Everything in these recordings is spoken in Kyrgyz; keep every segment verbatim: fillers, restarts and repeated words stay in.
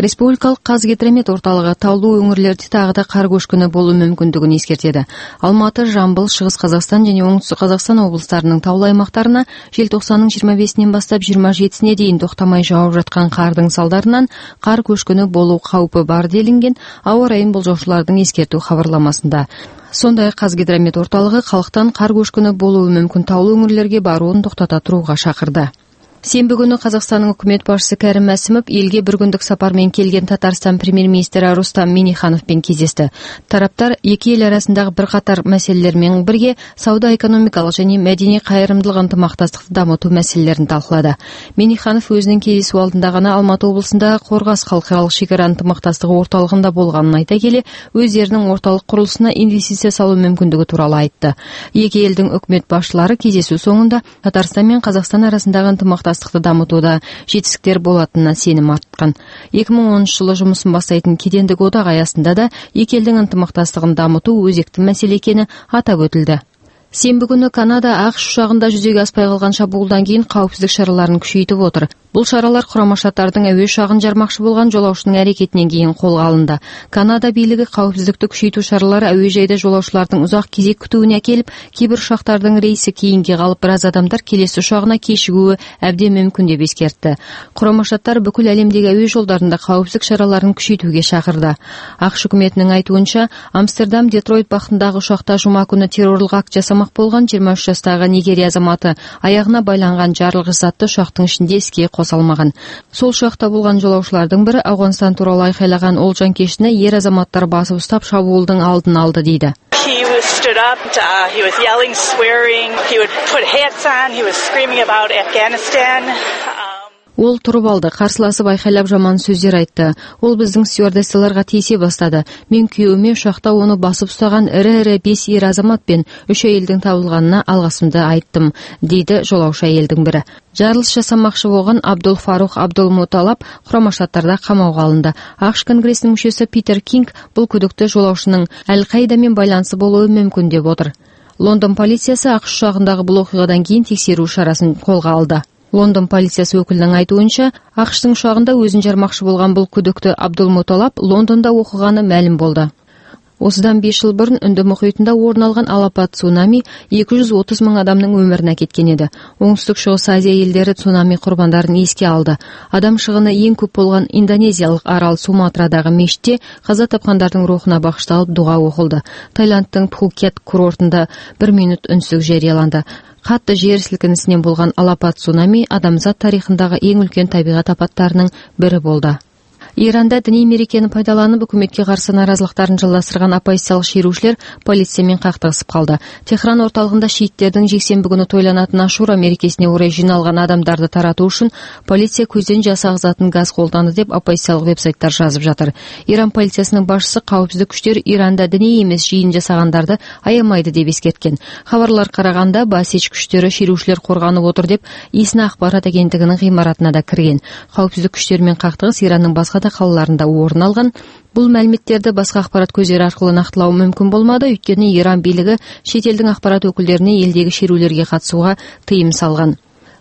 Республикалык Казгидромет орталыгы таулуу өңүрлөрдө дагы да кар көчкүнү болуу мүмкүндүгүн эскертеди. Алматы, Жамбыл, Чыгыс Казакстан жана Оңтүстүк Казакстан облустарынын таулуу аймактарына желтоқсандын жыйырма бешинен баштап жыйырма жетисине дейин токтобой жаап жаткан кардын салдарынан кар көчкүнү болуу каупи бар делинген аба ырайын болжоочулардын эскертүү кабарламасында. Сондай эле Казгидромет орталыгы калктан кар көчкүнү болуу мүмкүн таулуу өңүрлөргө барууну токтото турууга чакырды. Сенбі күнү Казакстандын өкмөт башчысы Кәрим Мәсимов элге бир күндүк сапар менен келген Татарстан премьер-министри Рустам Минниханов менен кездешти. Тараптар эки эл арасындагы бир катар маселелер менен бирге сауда-экономикалык жана мәдәни кайрымдуулук ынтымактастыкты дамытуу маселелерин талкуулады. Минниханов өзүнүн кездесүү алдында гана Алматы облусундагы Коргас халкыралык шекара ынтымактастыгы орталыгында болгонун айта келе, өздеринин орталык курулушуна инвестиция салуу мүмкүндүгү тууралуу айтты. Эки элдин өкмөт башчылары кездесүү соңунда Татарстан менен Казакстан арасындагы ынтымактастык дамытууда жетиштиктер болотунуна сеним арткан. эки миң онунчу жылы жумусун баштайтын кедендик одак аясында да эки элдин ынтымактастыгын дамытуу өзектүү маселе экени атап өтүлдү. Сенбі күнү Канада АКШ учагында жүзөгө аспай калган чабуулдан кийин каапсыздык чараларын күчөйтүп отур. Бул чаралар Курама Штаттардын өбө учагын жармакчы болгон жолоочунун аракетинен кийин колго алынды. Канада бийлиги каапсыздыкты күчөйтүү чаралары өбө жайда жолоочулардын узак кезек күтүүнү акелип, кээ бир учактардын рейси кейинге калып, бир аз адамдар келесі учагына кечигүүгө абдан мүмкүн деп эскертти. Курама Штаттар бүкүл әлемдеги өбө жолдорунда каапсыздык чараларын күчөйтүүгө чакырды. АКШ өкмөтүнүн айтуунча, Амстердам Детройт бактындагы учакта жума күнү террорлук акт жасамак болгон жыйырма үч жаштагы Нигерия азаматы аягына байланган жарылгыч затты учактын ичинде эске косалмаган. Сол учакта болгон жолоочулардын бири Афганистан тууралуу айкайлаган ол жанкечтине эр азаматтар басып уштап чабуулдун алдын алды дейди. Stood up, uh, he was yelling, swearing, he would put hats on, he was screaming about Afghanistan. Ол туруп алды, карсыласып айкайлап жаман сөздөр айтты. Ол биздин стюардессаларга тийсе баштады. Мен күйөөмө учакта ону басып устаган ири-ири беш эр азамат пен үч айылдын табылганына алгысымды айттым, дейди жолоочу айылдын бири. Жарылыш жасамакчы болгон Абдул Фарух Абдулмуталап Курама Штаттарда камоого алынды. АКШ Конгрессинин мүчөсү Питер Кинг бул күдүктө жолоочунун Аль-Каида менен байланышы болуу мүмкүн деп отур. Лондон полициясы АКШ учагындагы бул окуядан кийин текшерүү чарасын колго алды. Лондон полициясы өкүлүнүн айтуунча, АКШтын учагында өзүн жармакчы болгон бул күдүктүү Абдулмуталап Лондондо окуганы маалым болду. Осудан беш жыл бурун Үндү мухитинда орун алган алапат цунами эки жүз отуз миң адамдын өмүрүн кеткен эди. Оңтүстүк Чыгыс Азия элдери цунами курбандарын эске алды. Адам шыгыны эң көп болгон Индонезиялык арал Суматрадагы мешитте каза тапкандардын рухуна багышталып дуга окулду. Таиланддын Пхукет курортунда бир мүнөт үнсүздүк жарыяланды. Катты жер силкинисинен болгон алапат цунами адамзат тарыхындагы эң үлкен табигат апаттарынын бири болду. Иранда диний мерекени пайдаланып өкмөткө каршы наразылыктарын жылдастырган оппозициялык шерүүчүлөр полиция менен кактыгысып калды. Техран орталыгында шииттердин жексенби күнү тойланатын Ашура мерекесине орай жиналган адамдарды таратуу үчүн полиция көздөн жасак затын газ колдонду деп оппозициялык вебсайттар жазып жатыр. Иран полициясынын башчысы каапсыздык күчтөр Иранда диний эмес жыйын жасагандарды аямайды деп эскерткен. Кабарлар караганда Басич күчтөрү шерүүчүлөр корганып отур деп Исна акбарат агенттигинин гыймаратына да кирген. Каапсыздык күчтөр менен кактыгыс Иранның башка калаларында орун алган. Бул маалиметтерди башка акпарат көздөр аркылуу нактылоо мүмкүн болмады, өйткөнү Иран бийлиги чет элдин акпарат өкүлдөрүнө элдеги шерүүлөргө катышууга тыйым салган.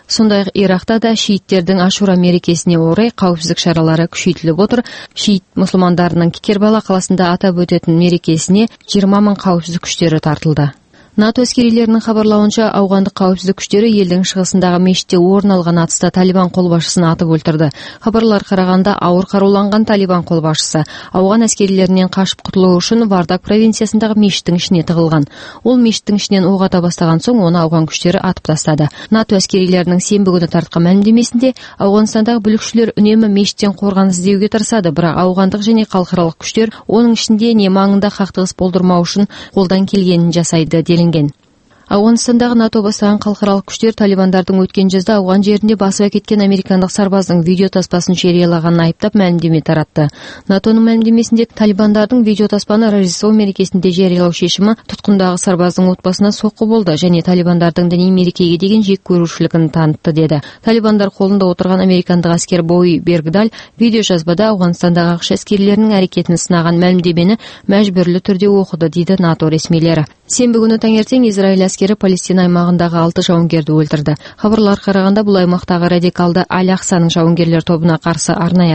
Сондай эле Иракта да шииттердин Ашура мерекесине орай каапсыздык чаралары күчөйтүлүп отур. Шиит мусулмандарынын Кербала каласында атап өтөтүн мерекесине жыйырма миң каапсыздык күчтөрү тартылды. НАТО аскерилеринин кабарлауынча, аугандык каапсыздык күчтөрү элдин чыгысындагы мешитте орун алган атыста Талибан кол башчысын атып өлтүрдү. Кабарлар караганда, ауыр карууланган Талибан кол башчысы ауган аскерилеринен качып кутулуу үчүн Вардак провинциясындагы мешиттин ичине тыгылган. Ол мешиттин ичинен ок ата баштаган соң ону ауган күчтөрү атып тастады. НАТО аскерилеринин сенбі күнү тарткан маалимдемесинде, Ауганстандагы бүлүкчүлөр үнөмө мешиттен коргон издөөгө тырышады, бирок аугандык жана калкаралык күчтөр онун ичинде не маңында кактыгыс болдурмоо үчүн колдон келгенин жасайды делинген. Афганистандагы НАТО бастаган калкаралык күчтөр Талибандардын өткөн жазда Афган жеринде басып кеткен американдык сарбаздын видео таспасын жарыялаганын айыптап маалимдеме таратты. НАТОнун маалимдемесинде Талибандардын видео таспаны Рождество мерекесинде жарыялоо чечими туткундагы сарбаздын отбасына сокку болду және Талибандардын диний мерекеге деген жек көрүүчүлүгүн танытты деди. Талибандар колунда отурган американдык аскер Бои Бергдаль видео жазбада Афганистандагы АКШ аскерлеринин аракетин сынаган маалимдемени мажбүрлүү түрдө окуду, дейди НАТО ресмилери. Сенбі күнү таңертең Израиль аскери Палестина аймагындагы алты жауынгерди өлтүрдү. Хабарлар караганда, бул аймактагы радикалды Аль-Аксанын жауынгерлер тобуна каршы арнайы